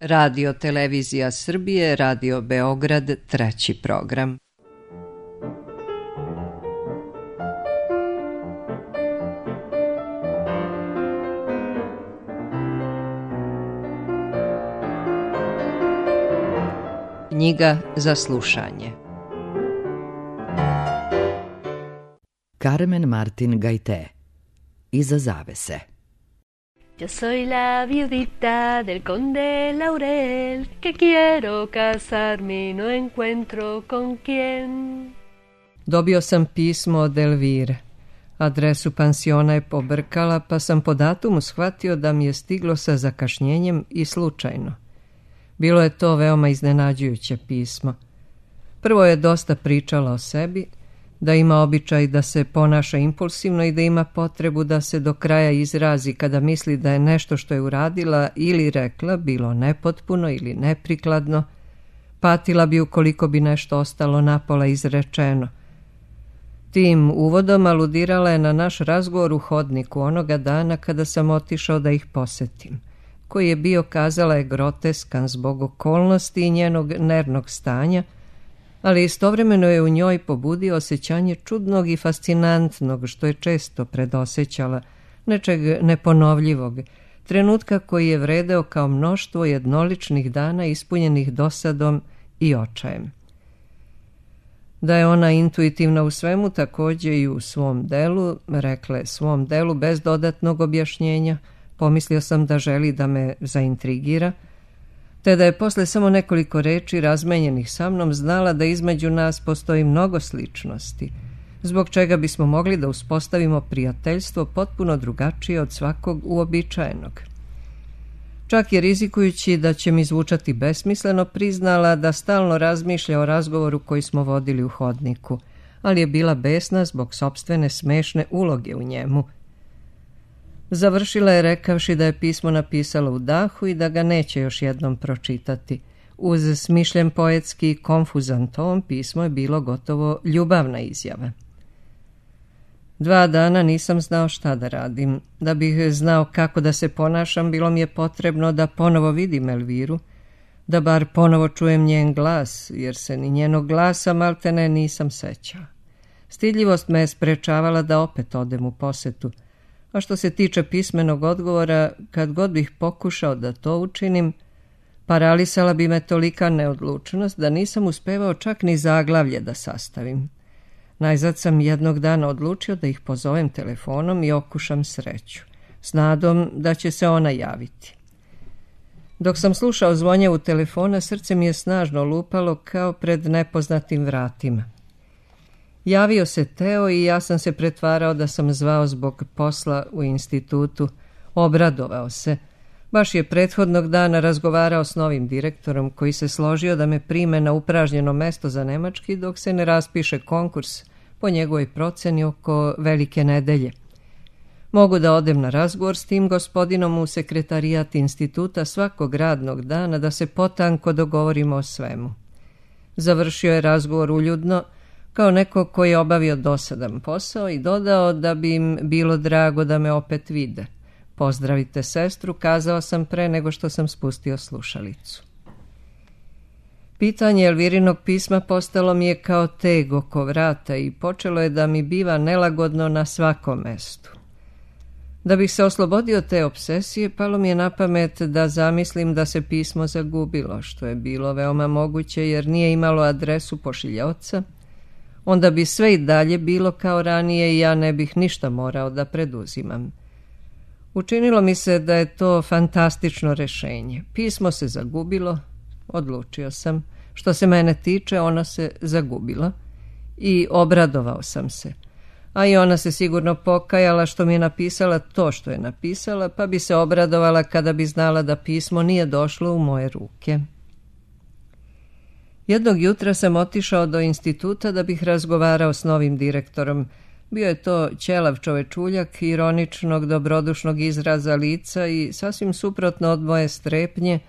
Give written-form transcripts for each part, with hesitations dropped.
Radio Televizija Srbije, Radio Beograd, 3. program. Knjiga za slušanje. Carmen Martin Gaité. Iza zavese. Yo soy la viudita del conde Laurel, que quiero casarme y no encuentro con quién. Dobio sam pismo od Elvire. Adresu pansiona je pobrkala, pa sam po datumu shvatio da mi je stiglo sa zakašnjenjem i slučajno. Bilo je to veoma iznenađujuće pismo. Prvo je dosta pričala o sebi, da ima običaj da se ponaša impulsivno i da ima potrebu da se do kraja izrazi kada misli da je nešto što je uradila ili rekla bilo nepotpuno ili neprikladno, patila bi ukoliko bi nešto ostalo napola izrečeno. Tim uvodom aludirala je na naš razgovor u hodniku onoga dana kada sam otišao da ih posetim, koji je bio, kazala je, groteskan zbog okolnosti i njenog nervnog stanja, ali istovremeno je u njoj pobudio osjećanje čudnog i fascinantnog, što je često predosećala, nečeg neponovljivog, trenutka koji je vredeo kao mnoštvo jednoličnih dana ispunjenih dosadom i očajem. Da je ona intuitivna u svemu, također i u svom delu, rekle svom delu bez dodatnog objašnjenja, pomislio sam da želi da me zaintrigira, te da je posle samo nekoliko reči razmenjenih sa mnom znala da između nas postoji mnogo sličnosti, zbog čega bismo mogli da uspostavimo prijateljstvo potpuno drugačije od svakog uobičajenog. Čak je, rizikujući da će mi zvučati besmisleno, priznala da stalno razmišlja o razgovoru koji smo vodili u hodniku, ali je bila besna zbog sopstvene smešne uloge u njemu. Završila je rekavši da je pismo napisala u dahu i da ga neće još jednom pročitati. Uz smišljen poetski i konfuzan ton pismo je bilo gotovo ljubavna izjava. 2 dana nisam znao šta da radim. Da bih znao kako da se ponašam, bilo mi je potrebno da ponovo vidim Elviru, da bar ponovo čujem njen glas, jer se ni njenog glasa maltene nisam sećao. Stidljivost me je sprečavala da opet odem u posetu, a što se tiče pismenog odgovora, kad god bih pokušao da to učinim, paralisala bi me tolika neodlučnost da nisam uspevao čak ni zaglavlje da sastavim. Najzad sam jednog dana odlučio da ih pozovem telefonom i okušam sreću, s nadom da će se ona javiti. Dok sam slušao zvonjevu telefona, srce mi je snažno lupalo kao pred nepoznatim vratima. Javio se Teo i ja sam se pretvarao da sam zvao zbog posla u institutu. Obradovao se. Baš je prethodnog dana razgovarao s novim direktorom koji se složio da me prime na upražnjeno mesto za nemački dok se ne raspiše konkurs po njegovoj proceni oko Velike nedelje. Mogu da odem na razgovor s tim gospodinom u sekretarijat instituta svakog radnog dana da se potanko dogovorimo o svemu. Završio je razgovor uljudno, kao neko koji je obavio dosadan posao, i dodao da bi im bilo drago da me opet vide. Pozdravite sestru, kazao sam pre nego što sam spustio slušalicu. Pitanje Elvirinog pisma postalo mi je kao teg oko vrata i počelo je da mi biva nelagodno na svakom mestu. Da bih se oslobodio te obsesije, palo mi je na pamet da zamislim da se pismo zagubilo, što je bilo veoma moguće jer nije imalo adresu pošiljaoca. Onda bi sve i dalje bilo kao ranije i ja ne bih ništa morao da preduzimam. Učinilo mi se da je to fantastično rešenje. Pismo se zagubilo, odlučio sam. Što se mene tiče, ono se zagubilo i obradovao sam se. A i ona se sigurno pokajala što mi je napisala to što je napisala, pa bi se obradovala kada bi znala da pismo nije došlo u moje ruke. Jednog jutra sam otišao do instituta da bih razgovarao s novim direktorom. Bio je to ćelav čovečuljak, ironičnog, dobrodušnog izraza lica i sasvim suprotno od moje strepnje,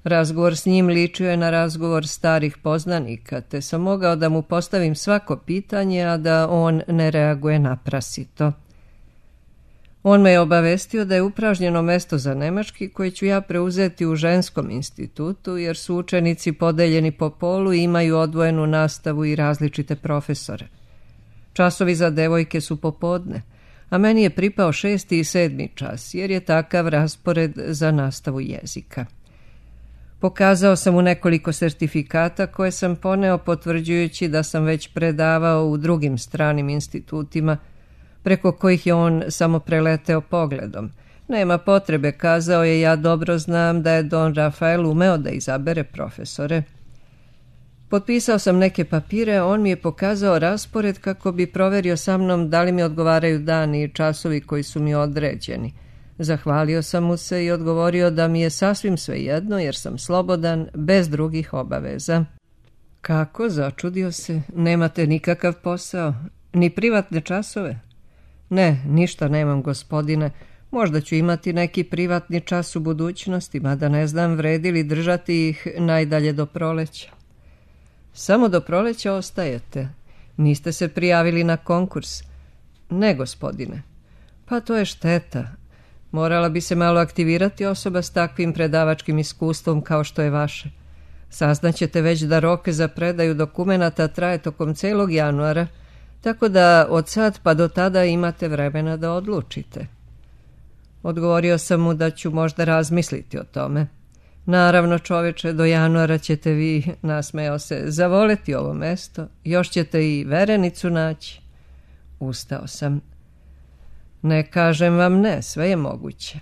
razgovor s njim ličio je na razgovor starih poznanika, te sam mogao da mu postavim svako pitanje, a da on ne reaguje naprasito. On me je obavestio da je upražnjeno mesto za nemački koje ću ja preuzeti u ženskom institutu, jer su učenici podeljeni po polu i imaju odvojenu nastavu i različite profesore. Časovi za devojke su popodne, a meni je pripao 6. i 7. čas, jer je takav raspored za nastavu jezika. Pokazao sam mu nekoliko sertifikata koje sam poneo potvrđujući da sam već predavao u drugim stranim institutima, preko kojih je on samo preleteo pogledom. Nema potrebe, kazao je, ja dobro znam da je Don Rafael umeo da izabere profesore. Potpisao sam neke papire, on mi je pokazao raspored kako bi proverio sa mnom da li mi odgovaraju dani i časovi koji su mi određeni. Zahvalio sam mu se i odgovorio da mi je sasvim svejedno jer sam slobodan, bez drugih obaveza. Kako, začudio se, nemate nikakav posao, ni privatne časove? Ne, ništa nemam, gospodine. Možda ću imati neki privatni čas u budućnosti, mada ne znam vredi li držati ih najdalje do proleća. Samo do proleća ostajete. Niste se prijavili na konkurs? Ne, gospodine. Pa to je šteta. Morala bi se malo aktivirati osoba s takvim predavačkim iskustvom kao što je vaše. Saznaćete već da rok za predaju dokumenata traje tokom celog januara, tako da od sad pa do tada imate vremena da odlučite. Odgovorio sam mu da ću možda razmisliti o tome. Naravno, čoveče, do januara ćete vi, nasmejao se, zavoleti ovo mesto, još ćete i verenicu naći. Ustao sam. Ne kažem vam ne, sve je moguće.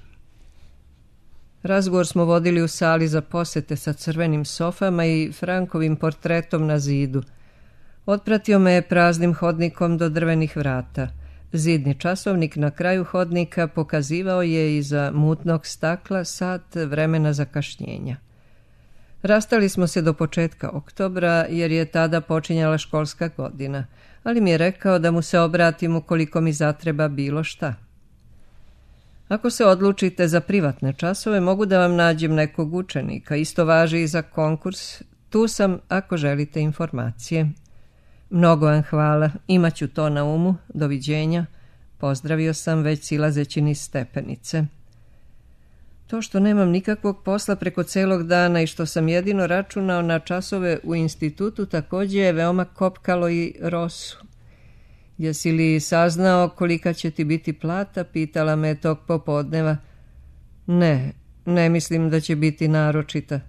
Razgovor smo vodili u sali za posete sa crvenim sofama i Frankovim portretom na zidu. Otpratio me je praznim hodnikom do drvenih vrata. Zidni časovnik na kraju hodnika pokazivao je iza mutnog stakla sat vremena zakašnjenja. Rastali smo se do početka oktobra jer je tada počinjala školska godina, ali mi je rekao da mu se obratim ukoliko mi zatreba bilo šta. Ako se odlučite za privatne časove, mogu da vam nađem nekog učenika. Isto važi i za konkurs. Tu sam ako želite informacije. Mnogo vam hvala, imaću to na umu, doviđenja. Pozdravio sam već silazeći niz stepenice. To što nemam nikakvog posla preko celog dana i što sam jedino računao na časove u institutu također je veoma kopkalo i Rosu. Jesi li saznao kolika će ti biti plata, pitala me tog popodneva. Ne mislim da će biti naročita.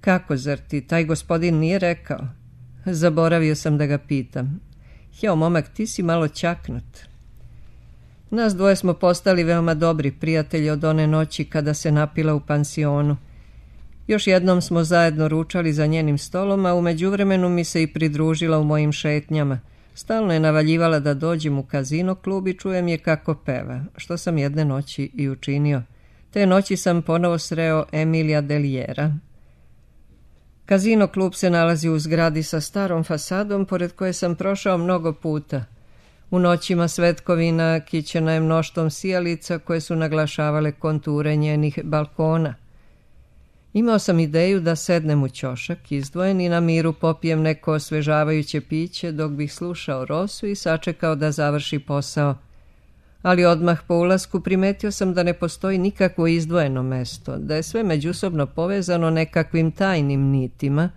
Kako, zar ti taj gospodin nije rekao? Zaboravio sam da ga pitam. Jao, momak, ti si malo čaknut. Nas dvoje smo postali veoma dobri prijatelji od one noći kada se napila u pansionu. Još jednom smo zajedno ručali za njenim stolom, a u međuvremenu mi se i pridružila u mojim šetnjama. Stalno je navaljivala da dođem u kazino klub i čujem je kako peva, što sam jedne noći i učinio. Te noći sam ponovo sreo Emilija Deliera. Kazino klub se nalazi u zgradi sa starom fasadom, pored koje sam prošao mnogo puta. U noćima svetkovina kićena je mnoštvom sijalica koje su naglašavale konture njenih balkona. Imao sam ideju da sednem u ćošak izdvojen i na miru popijem neko osvežavajuće piće dok bih slušao Rosu i sačekao da završi posao. Ali odmah po ulasku primetio sam da ne postoji nikakvo izdvojeno mesto, da je sve međusobno povezano nekakvim tajnim nitima,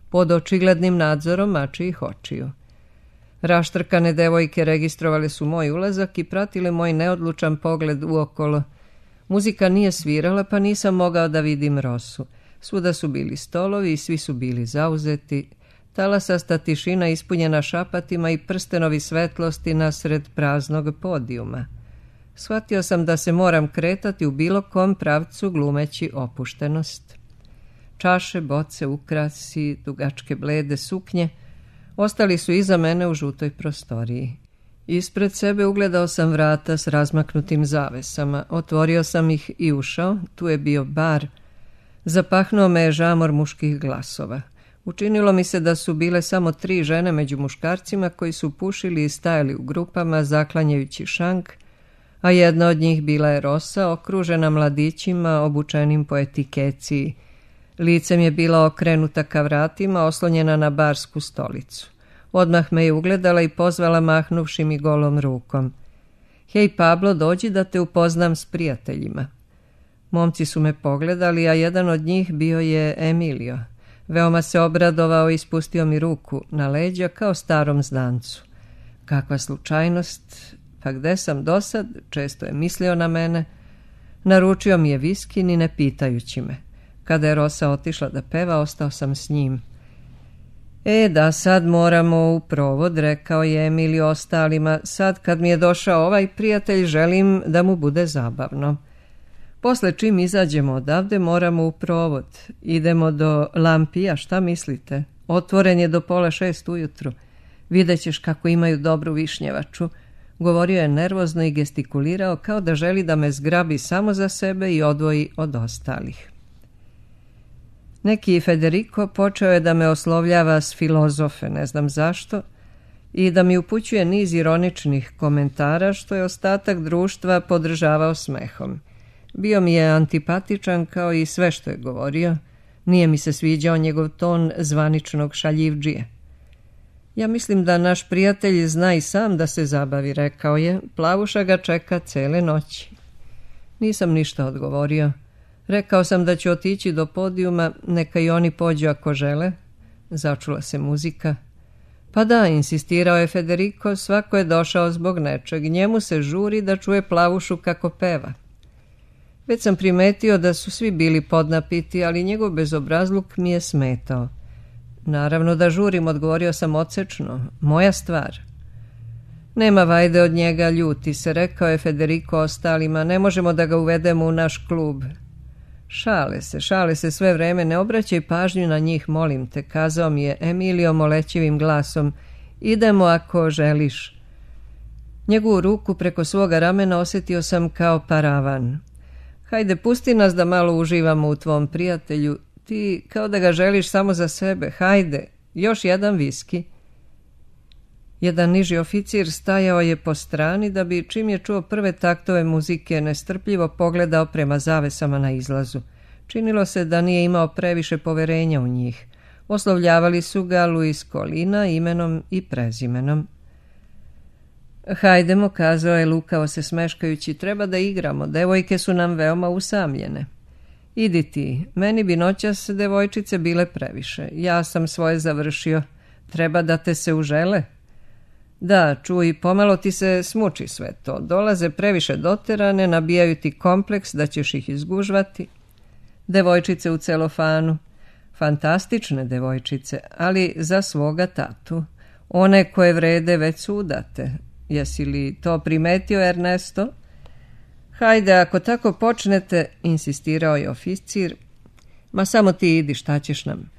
pod očiglednim nadzorom mačijih očiju. Raštrkane devojke registrovale su moj ulazak i pratile moj neodlučan pogled uokolo. Muzika nije svirala, pa nisam mogao da vidim Rosu. Svuda su bili stolovi i svi su bili zauzeti. Talasasta tišina ispunjena šapatima i prstenovi svetlosti nasred praznog podijuma. Shvatio sam da se moram kretati u bilo kom pravcu glumeći opuštenost. Čaše, boce, ukrasi, dugačke blede suknje ostali su iza mene u žutoj prostoriji. Ispred sebe ugledao sam vrata s razmaknutim zavesama. Otvorio sam ih i ušao. Tu je bio bar. Zapahnuo me je žamor muških glasova. Učinilo mi se da su bile samo 3 žene među muškarcima koji su pušili i stajali u grupama zaklanjajući šank, a jedna od njih bila je Rosa, okružena mladićima obučenim po etikeciji. Licem je bila okrenuta ka vratima, oslonjena na barsku stolicu. Odmah me je ugledala i pozvala mahnuvši mi golom rukom. Hej Pablo, dođi da te upoznam s prijateljima. Momci su me pogledali, a jedan od njih bio je Emilio. Veoma se obradovao i spustio mi ruku na leđa kao starom znancu. Kakva slučajnost, pa gde sam dosad, često je mislio na mene. Naručio mi je viski ni ne pitajući me. Kada je Rosa otišla da peva, ostao sam s njim. Da, sad moramo u provod, rekao je Emilio ostalima. Sad kad mi je došao ovaj prijatelj, želim da mu bude zabavno. Posle čim izađemo odavde, moramo u provod. Idemo do Lampija, šta mislite? Otvoren je do 5:30 ujutru. Vidjet ćeš kako imaju dobru višnjevaču. Govorio je nervozno i gestikulirao kao da želi da me zgrabi samo za sebe i odvoji od ostalih. Neki Federico počeo je da me oslovljava s filozofe, ne znam zašto, i da mi upućuje niz ironičnih komentara što je ostatak društva podržavao smehom. Bio mi je antipatičan kao i sve što je govorio. Nije mi se sviđao njegov ton zvaničnog šaljivdžije. Ja mislim da naš prijatelj zna i sam da se zabavi, rekao je. Plavuša ga čeka cele noći. Nisam ništa odgovorio. Rekao sam da ću otići do podijuma, neka i oni pođu ako žele. Začula se muzika. Pa da, insistirao je Federico, svako je došao zbog nečeg. Njemu se žuri da čuje Plavušu kako peva. Već sam primetio da su svi bili podnapiti, ali njegov bezobrazluk mi je smetao. Naravno da žurim, odgovorio sam odsečno. Moja stvar. Nema vajde od njega, ljuti se, rekao je Federico ostalima. Ne možemo da ga uvedemo u naš klub. Šale se sve vreme, ne obraćaj pažnju na njih, molim te, kazao mi je Emilio molećivim glasom. Idemo ako želiš. Njegovu ruku preko svoga ramena osjetio sam kao paravan. Hajde, pusti nas da malo uživamo u tvom prijatelju. Ti kao da ga želiš samo za sebe. Hajde, još jedan viski. Jedan niži oficir stajao je po strani da bi, čim je čuo prve taktove muzike, nestrpljivo pogledao prema zavesama na izlazu. Činilo se da nije imao previše poverenja u njih. Oslovljavali su ga Luis Colina imenom i prezimenom. Hajdemo, kazao je lukavo se smeškajući, treba da igramo, devojke su nam veoma usamljene. Idi ti, meni bi noćas devojčice bile previše, ja sam svoje završio, treba da te se užele. Da, čuj, pomalo ti se smuči sve to, dolaze previše doterane, nabijaju ti kompleks da ćeš ih izgužvati. Devojčice u celofanu, fantastične devojčice, ali za svoga tatu, one koje vrede već su udate. Jesi li to primetio, Ernesto? Hajde, ako tako počnete, insistirao je oficir. Ma samo ti idi, šta ćeš nam?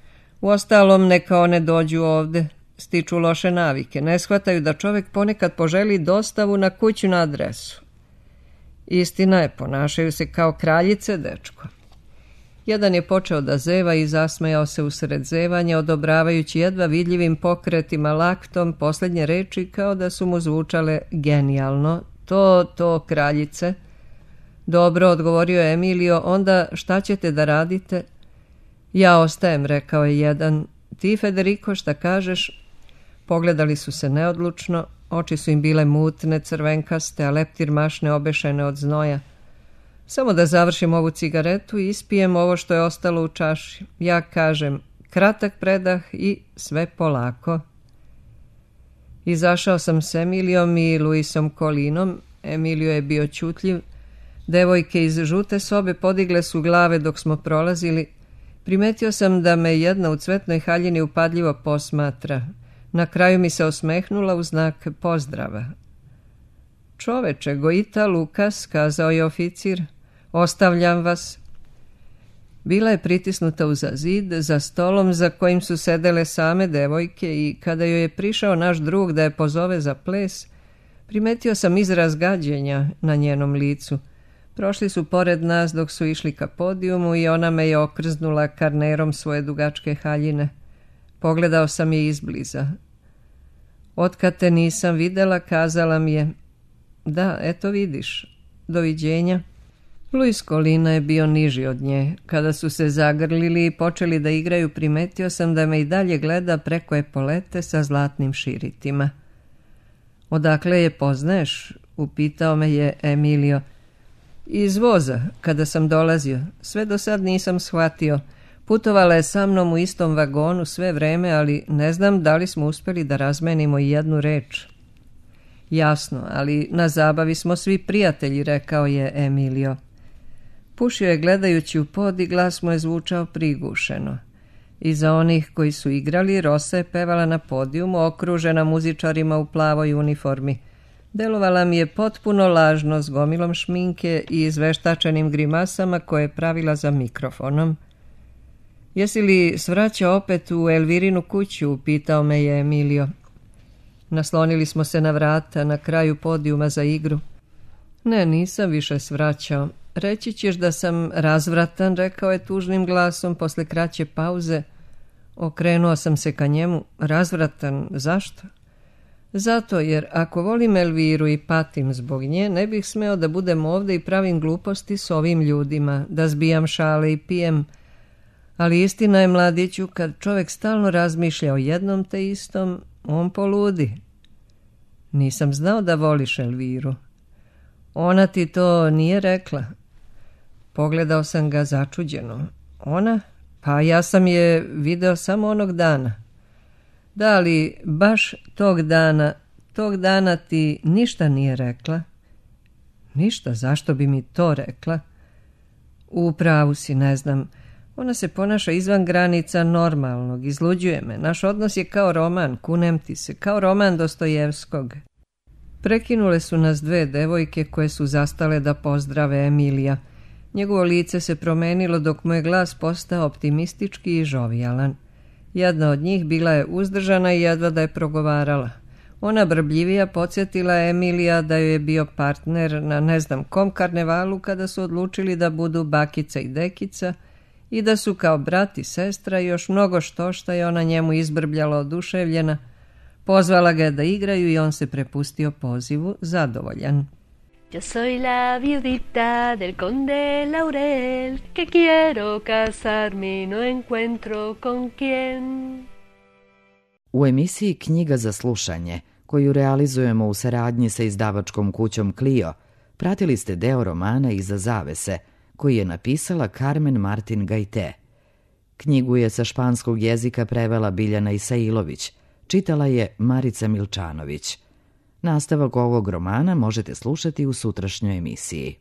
Uostalom, neka one dođu ovde, stiču loše navike, ne shvataju da čovjek ponekad poželi dostavu na kućnu adresu. Istina je, ponašaju se kao kraljice, dečko. Jedan je počeo da zeva i zasmejao se usred zevanja, odobravajući jedva vidljivim pokretima laktom posljednje reči kao da su mu zvučale genijalno. To, kraljice. Dobro, odgovorio je Emilio, onda šta ćete da radite? Ja ostajem, rekao je jedan. Ti, Federico, šta kažeš? Pogledali su se neodlučno, oči su im bile mutne, crvenkaste, a leptir mašne obešene od znoja. Samo da završim ovu cigaretu i ispijem ovo što je ostalo u čaši. Ja kažem, kratak predah i sve polako. Izašao sam s Emilijom i Luisom Colinom. Emilio je bio ćutljiv. Devojke iz žute sobe podigle su glave dok smo prolazili. Primetio sam da me jedna u cvetnoj haljini upadljivo posmatra. Na kraju mi se osmehnula u znak pozdrava. Čoveče, Goita Lukas, kazao je oficir, ostavljam vas. Bila je pritisnuta uza zid, za stolom za kojim su sedele same devojke i kada joj je prišao naš drug da je pozove za ples, primetio sam izraz gađenja na njenom licu. Prošli su pored nas dok su išli ka podijumu i ona me je okrznula karnerom svoje dugačke haljine. Pogledao sam je izbliza. Otkad te nisam videla, kazala mi je, da, eto vidiš, doviđenja. Luis Colina je bio niži od nje. Kada su se zagrlili i počeli da igraju, primetio sam da me i dalje gleda preko epolete sa zlatnim širitima. Odakle je poznaješ? upitao me je Emilio. Iz voza, kada sam dolazio. Sve do sad nisam shvatio. Putovala je sa mnom u istom vagonu sve vreme, ali ne znam da li smo uspjeli da razmenimo i jednu reč. Jasno, ali na zabavi smo svi prijatelji, rekao je Emilio. Pušio je gledajući u pod i glas mu je zvučao prigušeno. Iza onih koji su igrali, Rosa je pevala na podijumu, okružena muzičarima u plavoj uniformi. Delovala mi je potpuno lažno, s gomilom šminke i izveštačenim grimasama koje je pravila za mikrofonom. Jesi li svraćao opet u Elvirinu kuću, upitao me je Emilio. Naslonili smo se na vrata na kraju podijuma za igru. Ne, nisam više svraćao. Reći ćeš da sam razvratan, rekao je tužnim glasom posle kraće pauze. Okrenuo sam se ka njemu. Razvratan, zašto? Zato jer ako volim Elviru i patim zbog nje, ne bih smeo da budem ovdje i pravim gluposti s ovim ljudima, da zbijam šale i pijem. Ali istina je, mladiću, kad čovjek stalno razmišlja o jednom te istom, on poludi. Nisam znao da voliš Elviru. Ona ti to nije rekla. Pogledao sam ga začuđeno. Ona? Pa ja sam je video samo onog dana. Da li baš tog dana ti ništa nije rekla? Ništa, zašto bi mi to rekla? U pravu si, ne znam. Ona se ponaša izvan granica normalnog, izluđuje me. Naš odnos je kao roman, kunem ti se, kao roman Dostojevskog. Prekinule su nas dve devojke koje su zastale da pozdrave Emilija. Njegovo lice se promenilo dok mu je glas postao optimistički i žovijalan. Jedna od njih bila je uzdržana i jedva da je progovarala. Ona brbljivija podsjetila Emilija da joj je bio partner na ne znam kom karnevalu kada su odlučili da budu bakica i dekica i da su kao brat i sestra i još mnogo što je ona njemu izbrbljala oduševljena. Pozvala ga da igraju i on se prepustio pozivu, zadovoljan. Yo soy la viudita del conde Laurel, que quiero casarme y no encuentro con quién. U emisiji Knjiga za slušanje, koju realizujemo u saradnji sa izdavačkom kućom Clio, pratili ste deo romana Iza zavese, koji je napisala Carmen Martin Gajte. Knjigu je sa španskog jezika prevela Biljana Isailović, čitala je Marica Milčanović. Nastavak ovog romana možete slušati u sutrašnjoj emisiji.